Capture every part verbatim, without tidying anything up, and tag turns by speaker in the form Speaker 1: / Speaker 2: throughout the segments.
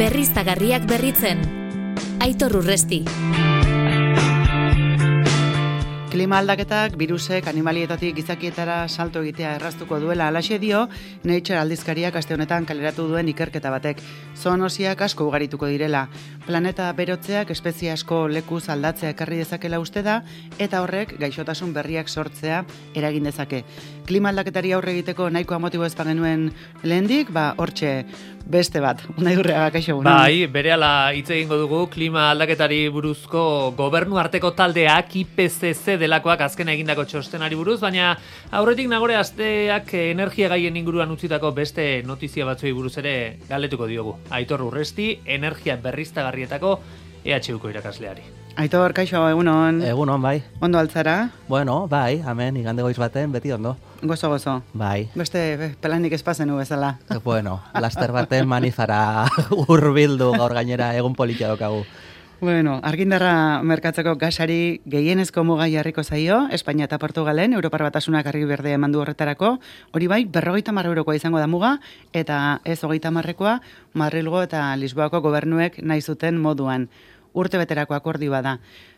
Speaker 1: berriztagarriak berritzen. Aitor Urresti.
Speaker 2: Klima aldaketak birusek animalietatik gizakietara salto egitea erraztuko duela alaxe dio Nature aldizkariak aste honetan kaleratu duen ikerketa batek. Zoonosiak asko ugarituko direla. Planeta berotzeak espezie asko lekuz aldatzea ekarri dezakela uste da eta horrek gaixotasun berriak sortzea eragin dezake. Klima aldaketari aurre egiteko nahikoa motibo ez bagenuen lehendik, ba hortxe beste bat. Unai Urreaga, kaixo.
Speaker 3: Bai, berehala hitz egingo dugu klima aldaketari buruzko gobernu arteko taldeak I P C C delakoak azken egindako txostenari buruz, baina aurretik nagore asteak energia gaien inguruan utzitako beste notizia batzuei buruz ere galdetuko diogu. Aitor Urresti, energia berriztagarrietako E H Uko irakasleari.
Speaker 2: Aitor, kaixo, egunon.
Speaker 4: Egunon, bai.
Speaker 2: Ondo altzara?
Speaker 4: Bueno, bai, amen, igande goiz baten, beti ondo.
Speaker 2: Gozo, gozo.
Speaker 4: Bai.
Speaker 2: Beste pelanik espazenu bezala.
Speaker 4: Bueno, laster baten manifara hurbildu gaur gainera egun politia daukagu.
Speaker 2: Bueno, argindarra merkatzeko gasari gehienezko muga jarriko zaio, Espainia eta Portugalen, Europar Batasunak argi berdea emandu horretarako, hori bai, berrogeita hamar eurokoa izango da muga, eta ez hogeita hamarrekoa, Madrilgo eta Lisboako gobernuek nahi zuten moduan. Urte beterako akordioa da.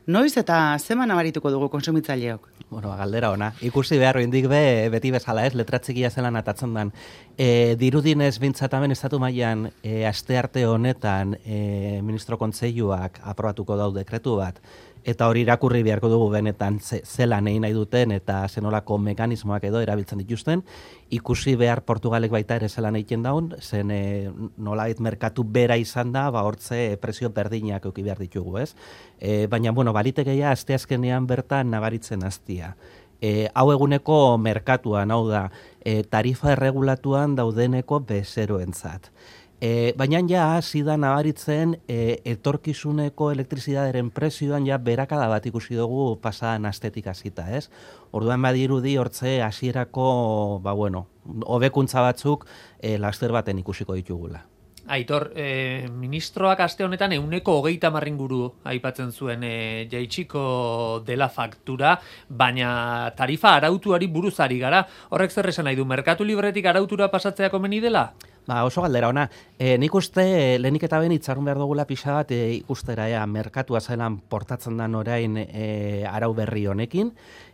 Speaker 2: Noiz eta zeman abarituko dugu konsumitzaileok?
Speaker 4: Bueno, galdera ona. Ikusi behar indik be, beti bezala ez, letratzikia zelan atatzen dan. E, dirudinez bintzatamen estatu mailan e, aste arte honetan e, ministro kontseiluak aprobatuko dau dekretu bat, eta hori irakurri beharko dugu benetan ze, zelan egin nahi duten eta zenolako mekanismoak edo erabiltzen dituzten. Ikusi behar Portugalek baita ere zelan egiten daun, zen e, nolabait merkatu bera izan da, ba hortze presio berdinak euki behar ditugu, ez? E, baina, bueno, balitekeia asteazkenean bertan nabaritzen hastia. E, hau eguneko merkatuan, hau da, e, tarifa erregulatuan daudeneko bezeroentzat. E, baina ja hasi da nabaritzen e, etorkizuneko elektrizidaderen prezioan ja berakada bat ikusi dugu pasadan astetik hasita, ez? Orduan badirudi hortze hasierako, ba bueno, hobekuntza batzuk e, laster baten ikusiko ditugula.
Speaker 3: Aitor, eh, ministroak aste honetan euneko hogeita marringuru aipatzen zuen eh, jaitsiko dela faktura, baina tarifa arautuari buruzari gara. Horrek zer esan nahi du, merkatu libretik arautura pasatzea komeni dela?
Speaker 4: Ba, oso galdera ona. E, nik uste lehenik eta ben itxarun behar dugula pixa bat e, ikustera ea, merkatua zelan portatzen dan orain e, arau berri honekin,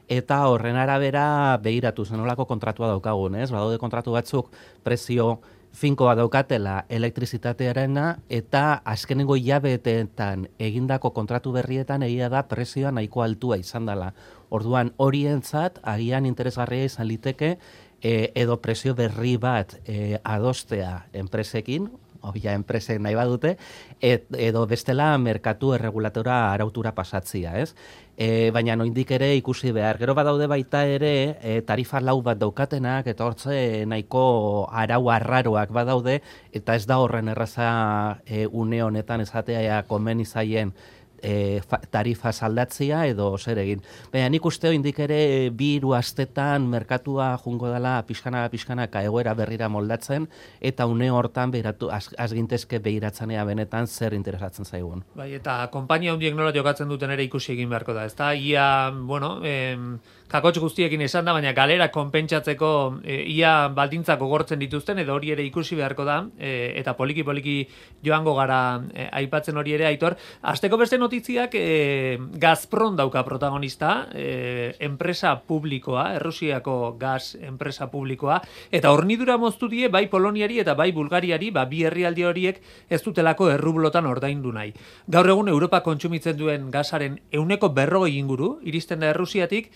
Speaker 4: eta horren arabera behiratu zenolako kontratua daukagun, ez? Badaude kontratu batzuk prezio finkoa daukatela elektrizitatearena eta azkenengo hilabeteetan egindako kontratu berrietan egia da prezioa nahiko altua izan dela. Orduan horientzat agian interesgarria izan liteke e, edo prezio berri bat e, adostea enpresekin, obia enpresek nahi badute, et, edo bestela merkatu erregulatora arautura pasatzia, ez? E, baina noindik ere ikusi behar. Gero badaude baita ere e, tarifa lau bat daukatenak eta hortze nahiko arau arraroak badaude eta ez da horren erraza e, une honetan esatea komen izaien e, tarifa saldatzia edo zer egin. Baina nik uste indik ere bi hiru astetan merkatua jungo dela pixkana pixkanaka egoera berrira moldatzen eta une hortan behiratu az, azgintezke behiratzenea benetan zer interesatzen zaigun.
Speaker 3: Bai, eta konpainia hundiek nola jokatzen duten ere ikusi egin beharko da, ezta? Ia, bueno, em, kakotx guztiekin esan da, baina galera konpentsatzeko e, ia baldintzak gogortzen dituzten edo hori ere ikusi beharko da, e, eta poliki-poliki joango gara e, aipatzen hori ere, Aitor. Asteko beste notiziak e, Gazprom dauka protagonista, e, enpresa publikoa, Errusiako gaz enpresa publikoa, eta hornidura moztu die bai Poloniari eta bai Bulgariari, ba, bi herrialde horiek ez dutelako errublotan ordaindu nahi. Gaur egun Europa kontsumitzen duen gazaren ehuneko berrogei inguru, iristen da Errusiatik.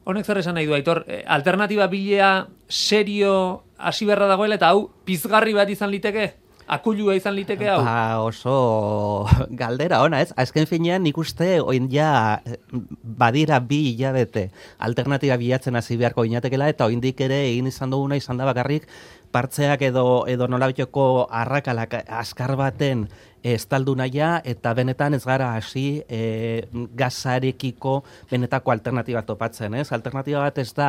Speaker 3: Honek zer esan nahi du, Aitor, alternatiba bilea serio hasi beharra dagoela eta hau pizgarri bat izan liteke? Akuilua izan liteke hau?
Speaker 4: Ba, oso galdera ona, ez? Azken finean nik uste oin ja badira bi hilabete alternatiba bilatzen hasi beharko inatekela eta oindik ere egin izan duguna izan da bakarrik partzeak edo edo nolabiteko arrakalak azkar baten estaldu naia eta benetan ez gara hasi e, gazarekiko benetako alternatiba topatzen, ez? Alternatiba bat ez da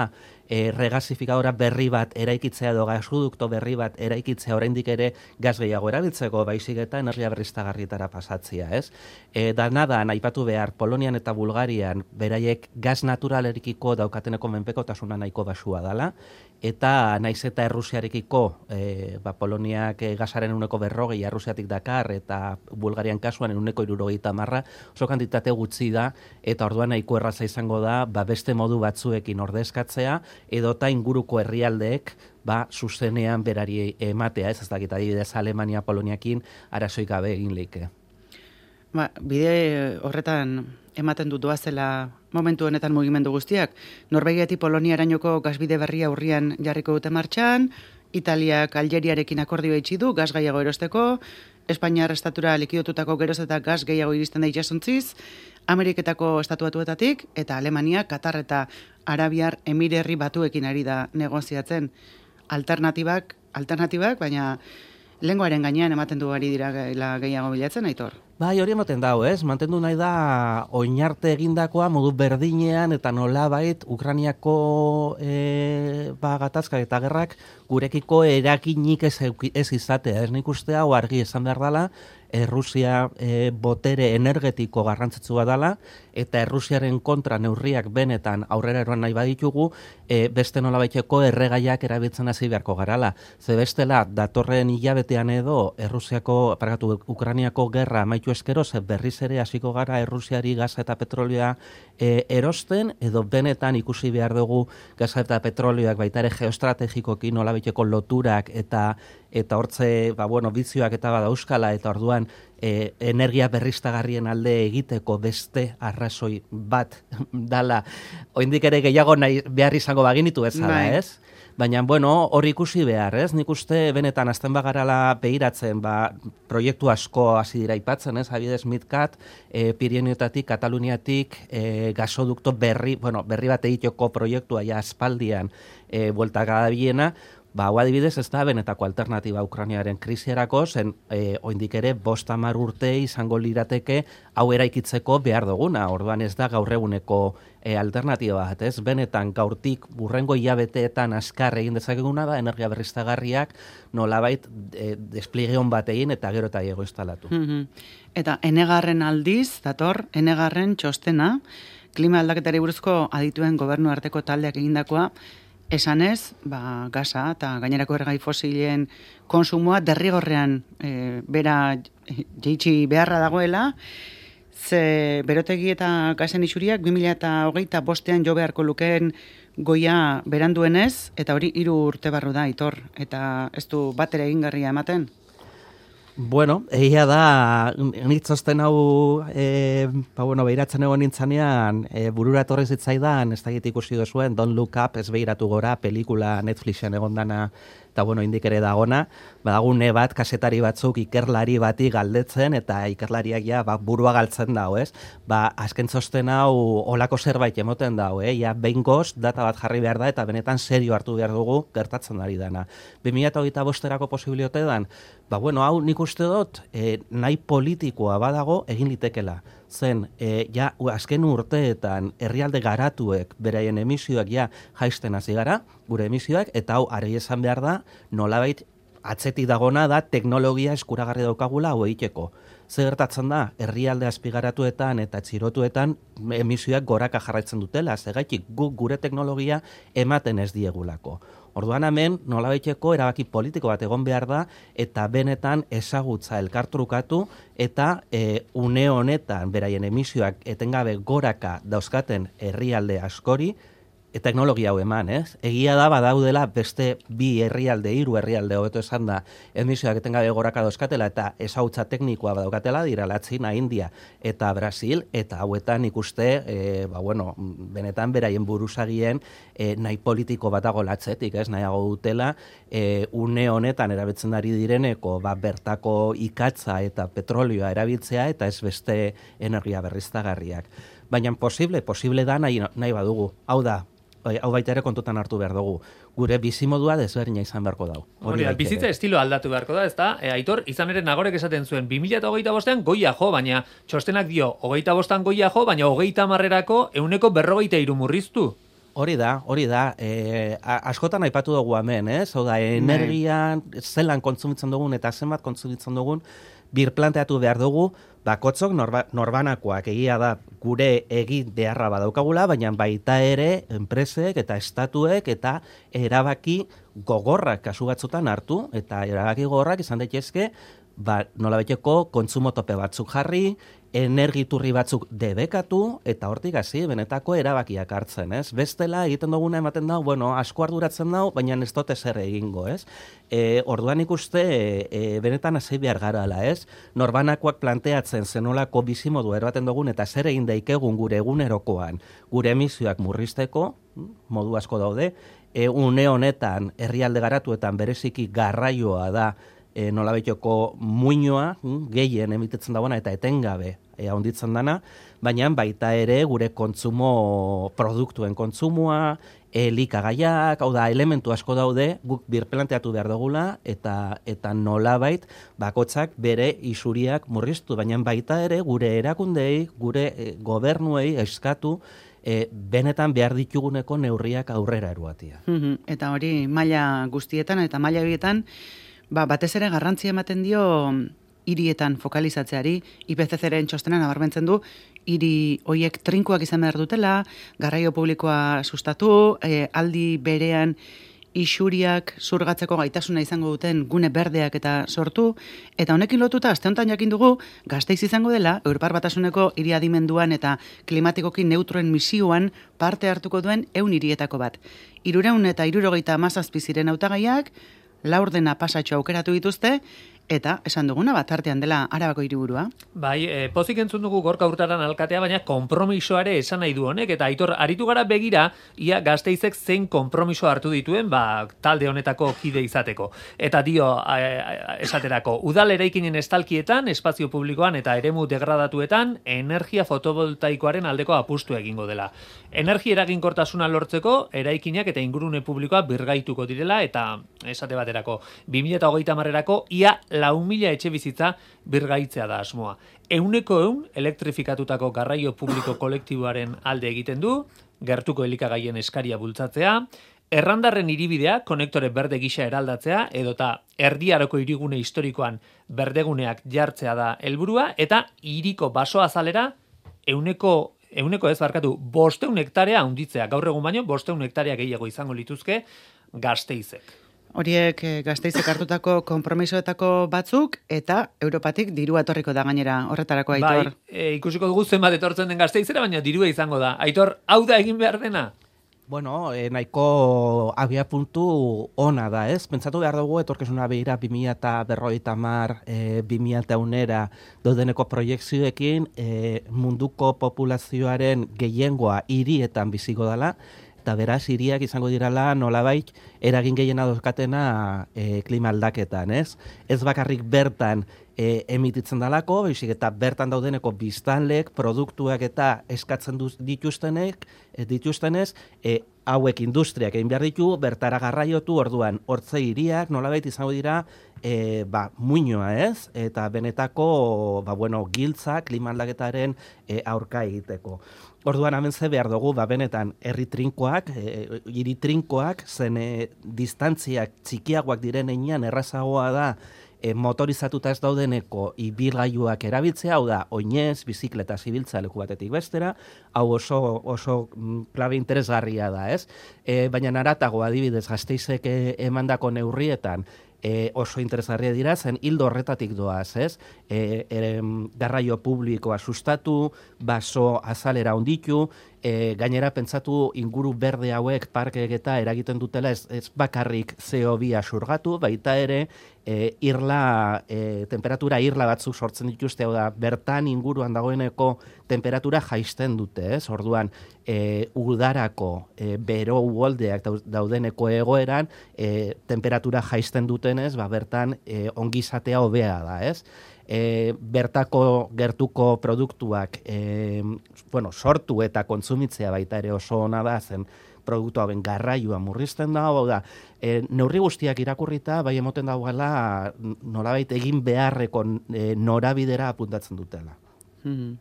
Speaker 4: e, regasifikadora berri bat eraikitzea edo gasudukto berri bat eraikitzea oraindik ere gas gehiago erabiltzeko, baizik eta energia berriztagarrietara pasatzea, ez? E, da nada, aipatu behar, Polonian eta Bulgarian beraiek gas naturalerikiko daukateneko menpekotasuna nahiko basua dela, eta naiz eta Errusiarekiko, e, ba, Poloniak e, gasaren uneko berrogei, Errusiatik dakar, eta Bulgarian kasuan uneko irurogeita marra, oso kantitate gutxi da, eta orduan nahiko erraza izango da, ba, beste modu batzuekin ordezkatzea, edota inguruko herrialdeek, ba, zuzenean berari ematea, ez ez dakit, adibidez Alemania, Poloniakin, arazoik gabe egin leike.
Speaker 2: Ba, bide horretan ematen dut doazela momentu honetan mugimendu guztiak. Norvegiatik Poloniarainoko gasbide berria urrian jarriko dute martxan, Italiak Algeriarekin akordioa itxi du gas gehiago erosteko, Espainiar estatura likidotutako geroz eta gas gehiago iristen da itsasontziz, Ameriketako estatuatuetatik, eta Alemania, Katar eta Arabiar Emirerri Batuekin ari da negoziatzen. Alternatibak, alternatibak, baina lenguaren gainean ematen du ari dira gehiago bilatzen, Aitor.
Speaker 4: Bai, hori ematen dago, ez? Mantendu nahi da oinarte egindakoa modu berdinean eta nolabait Ukrainiako e, ba, gatazkak eta gerrak gurekiko erakinik ez, ez izatea. Ez nik uste hau argi esan behar dela, Errusia e, botere energetiko garrantzitsua dela, eta Errusiaren kontra neurriak benetan aurrera eroan nahi baditugu, e, beste nolabaiteko erregaiak erabiltzen hasi beharko garala. Ze bestela, datorren hilabetean edo Errusiako, pargatu, Ukrainiako gerra amaitu eskero, ze berriz ere hasiko gara Errusiari gaza eta petrolioa e, erosten, edo benetan ikusi behar dugu gaza eta petrolioak baita ere geostrategikoki nolabaiteko loturak eta eta hortze, ba, bueno, bizioak eta bada euskala, eta orduan e, energia berriztagarrien alde egiteko beste arrazoi bat dala, oindik ere gehiago nahi behar izango baginitu bezala, ez? Baina, bueno, hori ikusi behar, ez? Nik uste benetan azten bagarala behiratzen, ba, proiektu asko hasi dira aipatzen, ez? Adibidez Midcat, e, Pirinioetatik, Kataluniatik, e, gasodukto berri, bueno, berri bat egiteko proiektua ja aspaldian e, bueltaka da biena, ba, hau adibidez ez da benetako alternatiba Ukrainiaren krisierako, zen e, oindik ere bost hamar urte izango lirateke hau eraikitzeko behar duguna, orduan ez da gaur eguneko e, alternatiba bat, ez? Benetan gaurtik burrengo hilabeteetan azkar egin dezakeguna da energia berriztagarriak nolabait e, despliegeon bat egin eta gero eta gehiago instalatu.
Speaker 2: Mm-hmm. Eta enegarren aldiz, dator, enegarren txostena, klima aldaketari buruzko adituen gobernu arteko taldeak egindakoa, esanez, ba, gaza eta gainerako erregai fosilen konsumoa derrigorrean e, bera jeitsi beharra dagoela, ze berotegi eta gazen isuriak bi mila hogeita bostean jo beharko lukeen goia beranduenez, eta hori hiru urte barru da, Aitor, eta ez du batera egingarria ematen.
Speaker 4: Bueno, egia da, nitzosten hau, e, ba, bueno, behiratzen egon nintzanean, e, burura etorri zitzaidan, ez da ikusi duzuen, Don't Look Up, ez behiratu gora, pelikula Netflixen egon dana, eta bueno, indik ere dagona, badagune bat, kasetari batzuk ikerlari bati galdetzen, eta ikerlariak ja, ba, burua galtzen dago, ez? Ba, azken txosten hau olako zerbait emoten dago, eh? Ja, behingoz, data bat jarri behar da, eta benetan serio hartu behar dugu, gertatzen ari dana. bi mila hogeita bosterako posibiliote dan, ba, bueno, hau nik uste dut, e, nahi politikoa badago egin litekela. Zen, e, ja, azken urteetan herrialde garatuek beraien emisioak ja jaisten hasi gara, gure emisioak, eta hau argi esan behar da, nolabait atzetik dagona da teknologia eskuragarri daukagula hau egiteko. Zer gertatzen da, herrialde azpigaratuetan eta txirotuetan emisioak goraka jarraitzen dutela, zegaitik guk gure teknologia ematen ez diegulako. Orduan hemen nolabaiteko erabaki politiko bat egon behar da eta benetan ezagutza elkartrukatu eta e, une honetan beraien emisioak etengabe goraka dauzkaten herrialde askori e, teknologia hau eman, ez? Egia da badaudela beste bi herrialde, hiru herrialde hobeto esan da emisioak etengabe goraka dauzkatela eta ezagutza teknikoa badaukatela dira Latzina, India eta Brasil, eta hauetan ikuste, e, ba, bueno, benetan beraien buruzagien e, nahi politiko batago latzetik, ez, nahiago dutela, e, une honetan erabiltzen ari direneko, ba, bertako ikatza eta petrolioa erabiltzea eta ez beste energia berriztagarriak. Baina posible, posible da nahi, nahi badugu. Hau da, hau baita ere kontutan hartu behar dugu. Gure bizimodua desberdina izan beharko dago.
Speaker 3: Hori da, bizitza estilo aldatu beharko da, ezta? E, Aitor, izan ere Nagorek esaten zuen, bi mila hogeita bostean goia jo, baina txostenak dio, hogeita bostan goia jo, baina hogeita marrerako euneko berrogeita hiru murriztu.
Speaker 4: Hori da, hori da, e, askotan aipatu dugu hemen, ez? Oda, energian, zelan kontsumitzen dugun eta zenbat kontsumitzen dugun, birplanteatu behar dugu, bakotzok norba, norbanakoak egia da gure egin beharra badaukagula, baina baita ere enpresek eta estatuek eta erabaki gogorrak kasu batzutan hartu, eta erabaki gogorrak izan daitezke, ba, nolabeteko kontsumo tope batzuk jarri, energiturri batzuk debekatu, eta hortik hasi benetako erabakiak hartzen, ez? Bestela egiten duguna ematen da, bueno, asko arduratzen da, baina ez dut ezer egingo, ez? E, orduan ikuste, e, benetan hasi behar garala, ez? Norbanakoak planteatzen zenolako bizimodu erbaten dugun, eta zer egin daikegun gure egunerokoan, gure emisioak murrizteko, modu asko daude, e, une honetan herrialde garatuetan bereziki garraioa da, E, nolabeteko muinoa, gehien emitetzen dagoena eta etengabe e, handitzen dana, baina baita ere gure kontsumo, produktuen kontsumoa, elikagaiak, hau da, elementu asko daude, guk birplanteatu behar dugula, eta eta nolabait bakotzak bere isuriak murriztu, baina baita ere gure erakundei, gure e, gobernuei eskatu, E, benetan behar dituguneko neurriak aurrera eruatia.
Speaker 2: Mm-hmm. Eta hori maila guztietan eta maila horietan, ba, batez ere garrantzia ematen dio hirietan fokalizatzeari, I P C C-ren txostenan nabarmentzen du, hiri hoiek trinkoak izan behar dutela, garraio publikoa sustatu, e, aldi berean isuriak zurgatzeko gaitasuna izango duten gune berdeak eta sortu, eta honekin lotuta aste honetan jakin dugu Gasteiz izango dela Europar Batasuneko hiri adimenduan eta klimatikoki neutroen misioan parte hartuko duen ehun hirietako bat. Hirurehun eta hirurogeita hamazazpi ziren hautagaiak, laurdena pasatxo aukeratu dituzte, eta esan duguna bat artean dela Arabako hiriburua.
Speaker 3: Bai, e, pozik entzun dugu Gorka Hurtaran alkatea, baina konpromisoare esan nahi du honek, eta Aitor, aritu gara begira, ia Gasteizek zein konpromiso hartu dituen, ba, talde honetako kide izateko. Eta dio, a, a, esaterako, udal eraikinen estalkietan, espazio publikoan eta eremu degradatuetan, energia fotovoltaikoaren aldeko apustu egingo dela. Energia eraginkortasuna lortzeko, eraikinak eta ingurune publikoa birgaituko direla, eta esate baterako, bi mila hogeita hamarerako ia lau mila etxe bizitza birgaitzea da asmoa. Euneko eun elektrifikatutako garraio publiko kolektiboaren alde egiten du, gertuko elikagaien eskaria bultzatzea, errandarren hiribidea konektore berde gisa eraldatzea, edota erdiaroko hirigune historikoan berdeguneak jartzea da helburua, eta hiriko baso azalera euneko Euneko ez barkatu, bosteun hektarea handitzea, gaur egun baino, bosteun hektarea gehiago izango lituzke Gasteizek.
Speaker 2: Horiek Gasteizek hartutako konpromisoetako batzuk, eta Europatik dirua etorriko da gainera horretarako, Aitor.
Speaker 3: Bai, e, ikusiko dugu zenbat etortzen den Gasteizera, baina dirua izango da. Aitor, hau da egin behar dena?
Speaker 4: Bueno, eh, nahiko abia puntu ona da, ez? Pentsatu behar dugu, etorkizuna behira bi mila eta berrogeita hamar, eh, bi mila eta unera daudeneko proiekzioekin eh, munduko populazioaren gehiengoa hirietan biziko dela, eta beraz, hiriak izango dirala nolabait eragin gehiena dozkatena e, klima aldaketan, ez? Ez bakarrik bertan e, emititzen dalako, baizik eta bertan daudeneko biztanlek, produktuak eta eskatzen duz, dituztenek, e, dituztenez, e, hauek industriak egin behar ditu, bertara garraiotu, orduan, hortze hiriak nolabait izango dira e, ba, muinoa, ez? Eta benetako, ba, bueno, giltza klima aldaketaren e, aurka egiteko. Orduan hemen ze behar dugu, ba, benetan, herri trinkoak, e, hiri trinkoak, zen e, distantziak txikiagoak diren einean errazagoa da e, motorizatuta ez daudeneko ibilgailuak erabiltzea, hau da, oinez, bizikleta zibiltza leku batetik bestera, hau oso, oso klabe interesgarria da, ez? E, baina naratago adibidez Gasteizek emandako neurrietan, E, oso interesgarria dira, zen hildo horretatik doaz, ez? E, e, garraio publikoa sustatu, baso azalera onditu, e, gainera pentsatu inguru berde hauek parkeek eta eragiten dutela ez, ez bakarrik C O bi surgatu, baita ere e, irla, e, temperatura irla batzuk sortzen dituzte, hau da, bertan inguruan dagoeneko temperatura jaisten dute, ez? Orduan, e, udarako e, bero uholdeak daudeneko egoeran, e, temperatura jaisten dutenez, ba, bertan e, ongizatea hobea da, ez? E, bertako gertuko produktuak e, bueno, sortu eta kontsumitzea baita ere oso ona da, zen produktu hauen garraioa murrizten da, hau da, e, neurri guztiak irakurrita, bai emoten dagoela nolabait egin beharreko e, norabidera apuntatzen dutela.
Speaker 2: Hmm.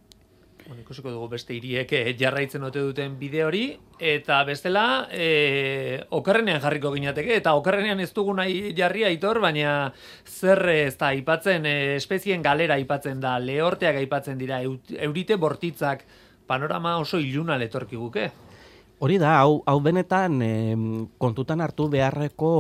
Speaker 3: Bueno, ikusiko dugu beste hiriek jarraitzen ote duten bide hori, eta bestela, e, okerrenean jarriko ginateke, eta okerrenean ez dugu nahi jarri Aitor, baina zer ez da aipatzen, e, espezien galera aipatzen da, lehorteak aipatzen dira, eurite bortitzak, panorama oso iluna letorkiguke.
Speaker 4: Hori da, hau, hau benetan e, kontutan hartu beharreko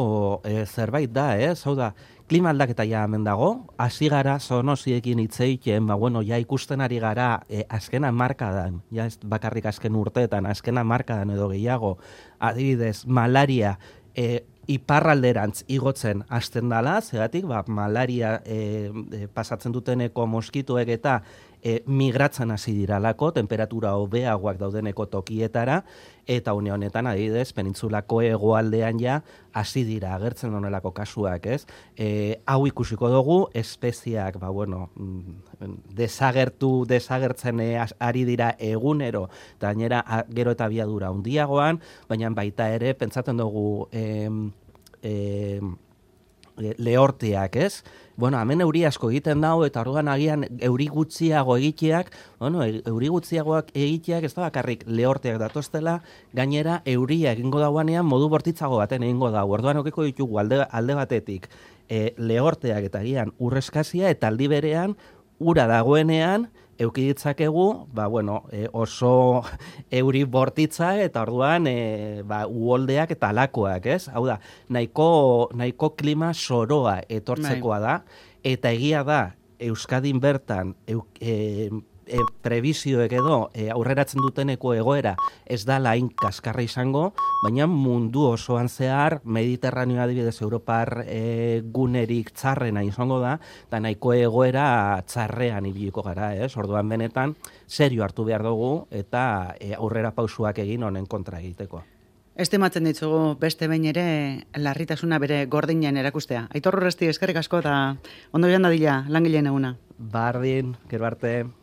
Speaker 4: e, zerbait da, ez? Hau da, klima aldaketa ja hemen dago, hasi gara zoonoziekin hitz egiten, ba bueno, ja ikusten ari gara e, azken hamarkadan, ja ez bakarrik azken urteetan, azken hamarkadan edo gehiago, adibidez, malaria e, iparralderantz igotzen hasten dala, zegatik, ba, malaria e, e, pasatzen duteneko moskituek eta e, migratzen hasi diralako, temperatura hobeagoak daudeneko tokietara, eta une honetan, adibidez, penintzulako hegoaldean ja hasi dira agertzen honelako kasuak, ez? E, hau ikusiko dugu, espeziak, ba, bueno, desagertu, desagertzen ari dira egunero, eta gainera gero eta abiadura handiagoan, baina baita ere, pentsatzen dugu, em, em, lehorteak, ez? Bueno, hemen euri asko egiten dago, eta orduan agian euri gutxiago egiteak, bueno, euri gutxiagoak egiteak ez da bakarrik lehorteak datoztela, gainera euria egingo dauanean modu bortitzago baten egingo dago. Orduan okiko ditugu alde, alde batetik e, lehorteak eta agian urreskazia, eta aldi berean ura dagoenean euki ditzakegu, ba, bueno, e, oso euri bortitza eta orduan e, ba, uholdeak eta alakoak, ez? Hau da, nahiko, nahiko klima soroa etortzekoa da, eta egia da, Euskadin bertan, eu, e, e, prebizioek edo e, aurreratzen duteneko egoera ez da lain kaskarra izango, baina mundu osoan zehar Mediterraneo adibidez Europar e, gunerik txarrena izango da, eta nahiko egoera txarrean ibiliko gara, ez? Orduan benetan, serio hartu behar dugu eta e, aurrera pausuak egin honen kontra egiteko.
Speaker 2: Estimatzen ditugu beste behin ere larritasuna bere gordinean erakustea. Aitor Urresti, eskerrik asko eta ondo joan dadila langileen eguna.
Speaker 4: Bardin, gero arte.